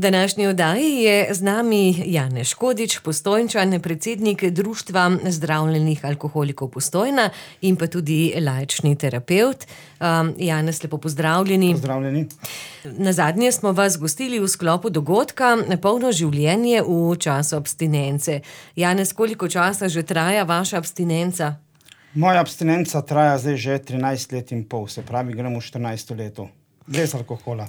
Današnji oddaji je z nami Janez Škodič, Postojnčan, predsednik Društva zdravljenih alkoholikov Postojna in pa tudi laični terapevt. Janez, lepo pozdravljeni. Pozdravljeni. Nazadnje smo vas gostili v sklopu dogodka Polno življenje v času abstinence. Janez, koliko časa že traja vaša abstinenca? Moja abstinenca traja zdaj že 13 let in pol, se pravi, gremo v 14. leto. Brez alkohola.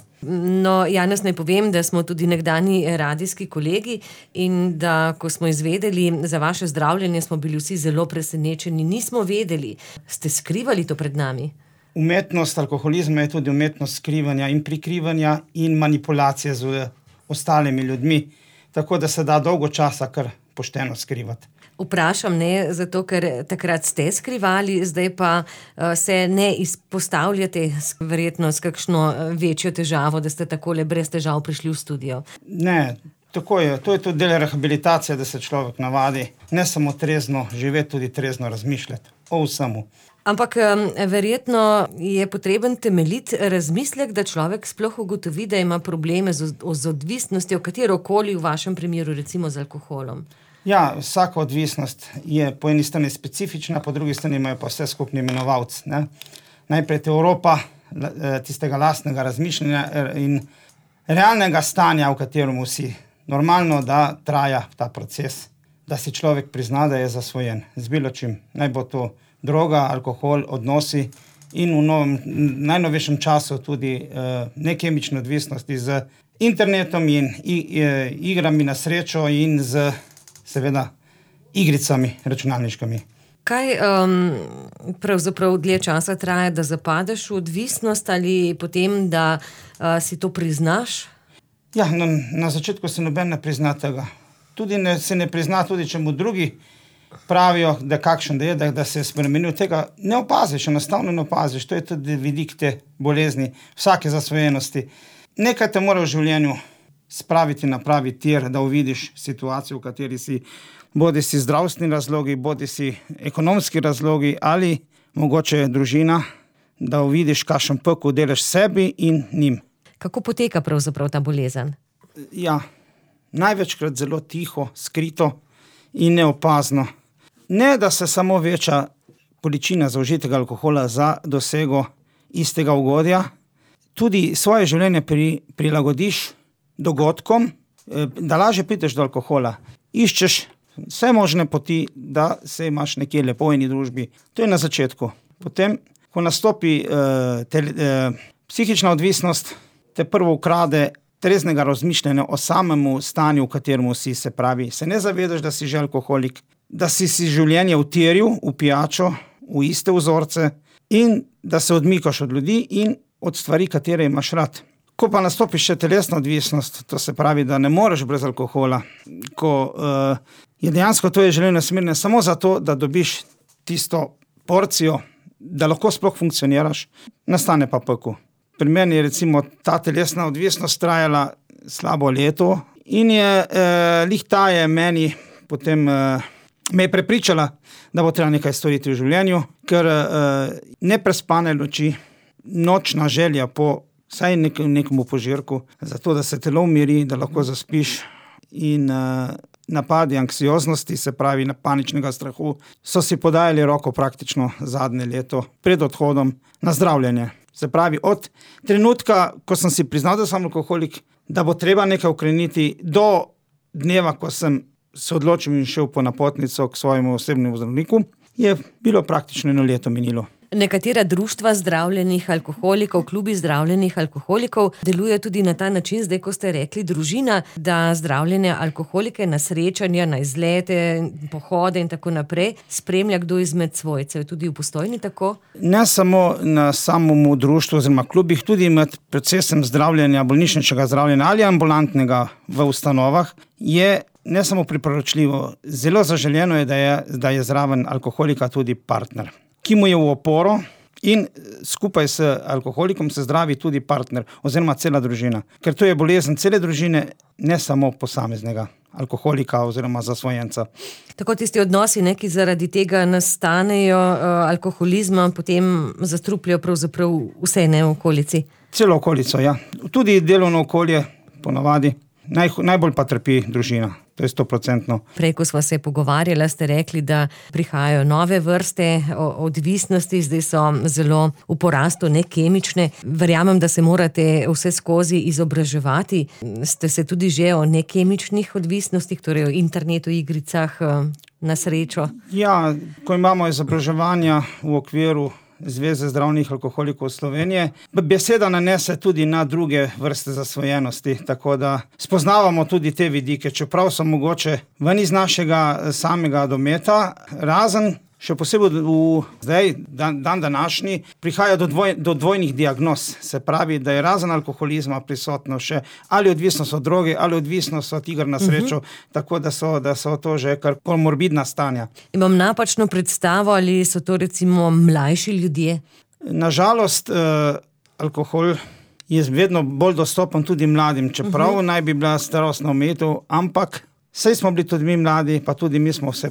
No, Janez, naj povem, da smo tudi nekdanji radijski kolegi in da, ko smo izvedeli za vaše zdravljenje, smo bili vsi zelo presenečeni. Nismo vedeli. Ste skrivali to pred nami? Umetnost alkoholizma je tudi umetnost skrivanja in prikrivanja in manipulacije z ostalimi ljudmi, tako da se da dolgo časa kar pošteno skrivati. Vprašam, ne, zato ker takrat ste skrivali, zdaj pa se ne izpostavljate verjetno s kakšno večjo težavo, da ste takole brez težav prišli v studio. Ne, tako je. To je tudi del rehabilitacije, da se človek navadi ne samo trezno živeti, tudi trezno razmišljati o vsemu. Ampak verjetno je potreben temeljit razmislek, da človek sploh ugotovi, da ima probleme z odvisnostjo, katerokoli v vašem primeru, recimo z alkoholom. Ja, vsaka odvisnost je po eni strani specifična, po drugi strani imajo pa vse skupni imenovalec. Najprej Evropa tistega lastnega razmišljanja in realnega stanja, v katerem si normalno, da traja ta proces, da si človek prizna, da je zasvojen z bilo čim. Naj bo to droga, alkohol, odnosi in v najnovejšem času tudi nekemične odvisnosti z internetom in igrami na srečo in z seveda igricami računalniškimi. Kaj pravzaprav dlje časa traja, da zapadeš v odvisnost ali potem, da si to priznaš? Ja, na začetku se noben ne prizna tega. Se ne prizna tudi, če mu drugi pravijo, da kakšen da je, da se je spremenil. Tega ne opaziš, enostavno ne opaziš. To je tudi vidik te bolezni, vsake zasvojenosti. Nekaj te mora v življenju spraviti na pravi tir, da uvidiš situacijo, v kateri si, bodi si zdravstveni razlogi, bodi si ekonomski razlogi ali mogoče družina, da uvidiš, kakšen pekel delaš sebi in njim. Kako poteka pravzaprav ta bolezen? Ja, največkrat zelo tiho, skrito in neopazno. Ne, da se samo veča količina zaužitega alkohola za dosego istega ugodja, tudi svoje življenje prilagodiš dogodkom, da lažje prideš do alkohola. Iščeš vse možne poti, da se imaš nekje lepo in družbi. To je na začetku. Potem, ko nastopi psihična odvisnost, te prvo ukrade treznega razmišljanja o samemu stanju, v katerem si, se pravi, se ne zavedaš, da si že alkoholik, da si življenje utiril v pijačo, v iste vzorce in da se odmikaš od ljudi in od stvari, katere imaš rad. Ko pa nastopi še telesna odvisnost, to se pravi, da ne moreš brez alkohola, ko je dejansko to življenje smerno samo zato, da dobiš tisto porcijo, da lahko sploh funkcioniraš, nastane pa pekel. Pri meni je recimo ta telesna odvisnost trajala slabo leto in je meni potem me je prepričala, da bo treba nekaj storiti v življenju, ker neprespane noči, nočna želja po vsaj nekomu požirku, zato da se telo umiri, da lahko zaspiš in napadi anksioznosti, se pravi paničnega strahu, so si podajali roko praktično zadnje leto pred odhodom na zdravljenje. Se pravi, od trenutka, ko sem si priznal, da sem alkoholik, da bo treba nekaj ukreniti, do dneva, ko sem se odločil in šel po napotnico k svojemu osebnemu zdravniku, je bilo praktično 1 leto minilo. Nekatera društva zdravljenih alkoholikov, klubi zdravljenih alkoholikov deluje tudi na ta način, zdaj ko ste rekli družina, da zdravljene alkoholike na srečanja, na izlete, pohode in tako naprej spremlja kdo izmed svojcev. Tudi v Postojni tako? Ne samo na samemu društvu oziroma klubih, tudi med procesem zdravljenja, bolnišničnega zdravljenja ali ambulantnega v ustanovah je ne samo priporočljivo, zelo zaželjeno je, da je zraven alkoholika tudi partner, ki mu je v oporo in skupaj s alkoholikom se zdravi tudi partner oziroma cela družina. Ker to je bolezen cele družine, ne samo posameznega alkoholika oziroma zasvojenca. Tako tisti odnosi, ki zaradi tega nastanejo alkoholizma, potem zastrupljajo pravzaprav vse v okolici. Celo okolico, ja. Tudi delovno okolje ponavadi. najbolj pa trpi družina. To je 100%. Prej, ko sva se pogovarjala, ste rekli, da prihajajo nove vrste odvisnosti, zdaj so zelo v porastu, ne kemične. Verjamem, da se morate vse skozi izobraževati. Ste se tudi že o nekemičnih odvisnostih, torej o internetu, igricah, na srečo? Ja, ko imamo izobraževanja v okviru Zveze zdravljenih alkoholikov Slovenije, beseda nanese tudi na druge vrste zasvojenosti, tako da spoznavamo tudi te vidike, čeprav so mogoče ven iz našega samega dometa, razen še posebej zdaj, dan današnji, prihaja do dvojnih diagnoz. Se pravi, da je razen alkoholizma prisotno še ali odvisnost od droge, ali odvisnost od iger na srečo, tako da so to že kar komorbidna stanja. Imam napačno predstavo, ali so to recimo mlajši ljudje? Nažalost, alkohol je vedno bolj dostopen tudi mladim, čeprav naj bi bila starostna omejitev, ampak saj smo bili tudi mi mladi, pa tudi mi smo vse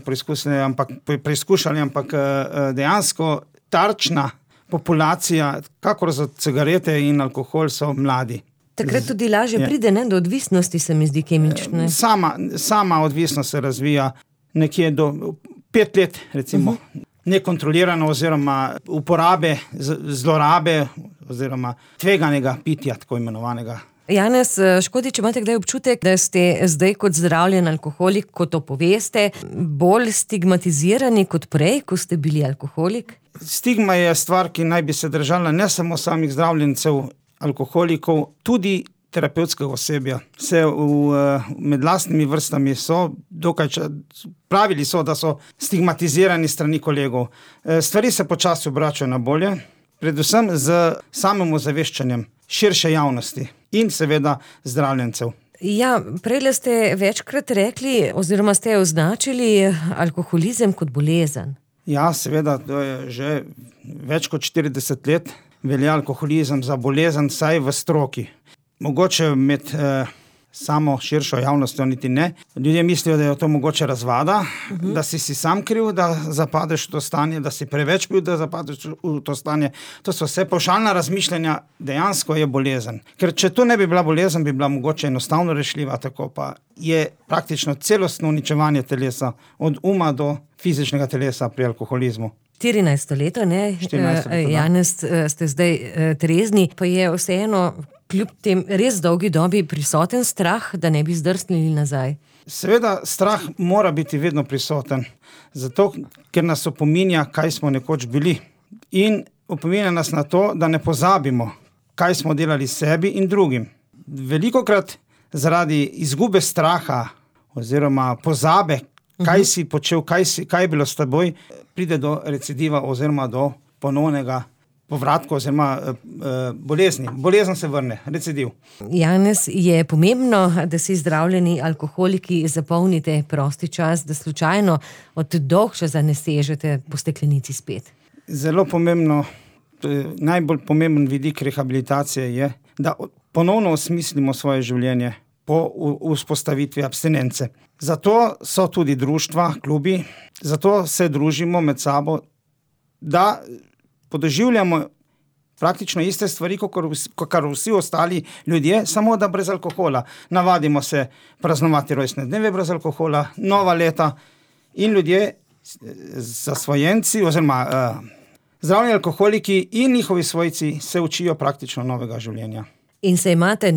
preizkušali, ampak dejansko tarčna populacija, kakor za cigarete in alkohol, so mladi. Takrat tudi lažje pride, ne, do odvisnosti, se mi zdi, kemične. Sama odvisnost se razvija nekje do 5 let, recimo, nekontrolirano oziroma uporabe, zlorabe oziroma tveganega pitja, tako imenovanega. Janez Škodič, imate kdaj občutek, da ste zdaj kot zdravljen alkoholik, ko to poveste, bolj stigmatizirani kot prej, ko ste bili alkoholik? Stigma je stvar, ki naj bi se držala ne samo samih zdravljencev alkoholikov, tudi terapevtskega osebja. Med lastnimi vrstami so pravili so, da so stigmatizirani strani kolegov. Stvari se počasi obračajo na bolje, predvsem z samim ozaveščanjem širše javnosti in seveda zdravljencev. Ja, prejle ste večkrat rekli oziroma ste označili alkoholizem kot bolezen. Ja, seveda, to je že več kot 40 let velja alkoholizem za bolezen, saj v stroki. Mogoče med samo širšo javnostjo niti ne. Ljudje mislijo, da je to mogoče razvada, da si sam kriv, da zapadeš v to stanje, da si preveč pil, da zapadeš v to stanje. To so vse pavšalna razmišljanja, dejansko je bolezen. Ker če to ne bi bila bolezen, bi bila mogoče enostavno rešljiva, tako pa je praktično celostno uničevanje telesa, od uma do fizičnega telesa pri alkoholizmu. 14 leto, ne? 14 leto, Janez, ste zdaj trezni, pa je vseeno kljub tem res dolgi dobi prisoten strah, da ne bi zdrsnili nazaj? Seveda, strah mora biti vedno prisoten, zato ker nas opominja, kaj smo nekoč bili. In opominja nas na to, da ne pozabimo, kaj smo delali sebi in drugim. Velikokrat zaradi izgube straha oziroma pozabe, kaj si počel, kaj je bilo s teboj, pride do recidiva oziroma do ponovnega povratka oziroma bolezni. Bolezen se vrne, recidiv. Janez, je pomembno, da si zdravljeni alkoholiki zapolnite prosti čas, da slučajno od dolgčasa ne sežete po steklenici spet? Zelo pomembno, najbolj pomemben vidik rehabilitacije je, da ponovno osmislimo svoje življenje po vzpostavitvi abstinence. Zato so tudi društva, klubi, zato se družimo med sabo, da podoživljamo praktično iste stvari, kot vsi ostali ljudje, samo da brez alkohola. Navadimo se praznovati rojstne dneve brez alkohola, nova leta in ljudje, zasvojenci oziroma zdravljeni alkoholiki in njihovi svojci se učijo praktično novega življenja. In se imate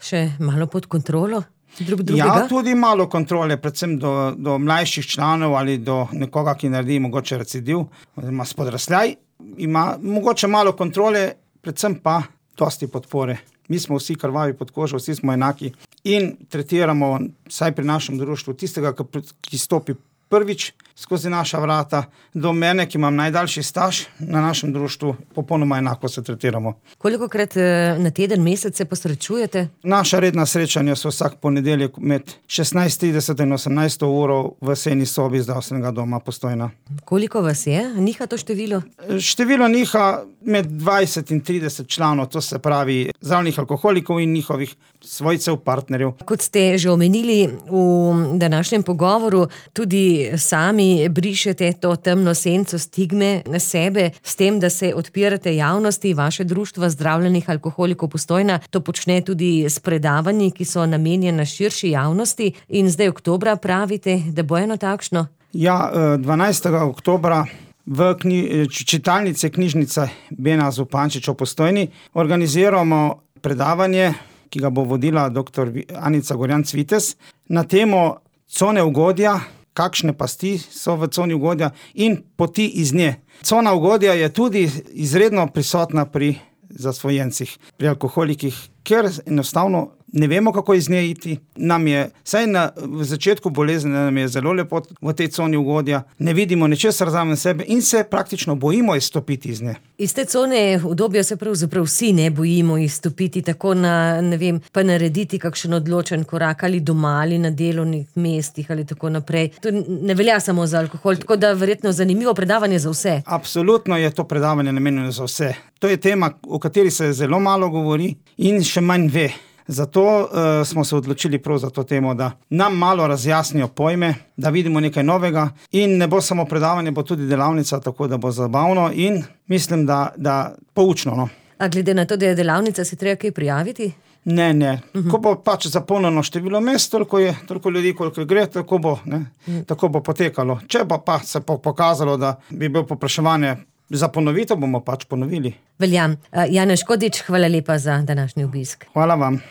še malo pod kontrolo drug drugega? Ja, tudi malo kontrole, predvsem do mlajših članov ali do nekoga, ki naredi mogoče recidiv oziroma spodrsljaj. Ima mogoče malo kontrole, predvsem pa dosti podpore. Mi smo vsi krvavi pod kožo, vsi smo enaki in tretiramo, vsaj pri našem društvu, tistega, ki stopi prvič skozi naša vrata, do mene, ki imam najdaljši staž na našem društvu, popolnoma enako se tretiramo. Kolikokrat na teden, mesec se posrečujete? Naša redna srečanja so vsak ponedeljek med 16:30 in 18 uro v sejni sobi zdravstvenega doma Postojna. Koliko vas je? Niha to število? Število niha med 20 in 30 članov, to se pravi zdravljenih alkoholikov in njihovih svojcev, partnerjev. Kot ste že omenili v današnjem pogovoru, tudi sami brišete to temno senco stigme na sebe s tem, da se odpirate javnosti. Vaše društvo zdravljenih alkoholikov Postojna to počne tudi s predavanji, ki so namenjena širši javnosti, in zdaj oktobra pravite, da bo eno takšno? Ja, 12. oktobra v čitalnici knjižnice Bena Zupančiča v Postojni organiziramo predavanje, ki ga bo vodila dr. Anica Gorjan-Cvites, na temo cone ugodja, kakšne pasti so v coni ugodja in poti iz nje. Cona ugodja je tudi izredno prisotna pri zasvojencih, pri alkoholikih, ker enostavno ne vemo, kako iz nje iti. Nam je, vsaj v začetku bolezni, nam je zelo lepo v tej coni ugodja, ne vidimo ničesar zraven sebe in se praktično bojimo izstopiti iz nje. Iz te cone udobja se pravzaprav vsi ne bojimo izstopiti, tako pa narediti kakšen odločen korak ali doma ali na delovnih mestih ali tako naprej. To ne velja samo za alkohol, tako da verjetno zanimivo predavanje za vse. Absolutno je to predavanje namenjeno za vse. To je tema, o kateri se zelo malo govori in še manj ve. Zato smo se odločili prav za to temo, da nam malo razjasnijo pojme, da vidimo nekaj novega in ne bo samo predavanje, bo tudi delavnica, tako da bo zabavno in mislim, da poučno. No. A glede na to, da je delavnica, se treba kaj prijaviti? Ne. Ko bo pač zapolnjeno število mest, toliko ljudi, koliko gre, tako bo potekalo. Če pa se pokazalo, da bi bil povpraševanje za ponovitev, bomo pač ponovili. Veljam. Janez Škodič, hvala lepa za današnji obisk. Hvala vam.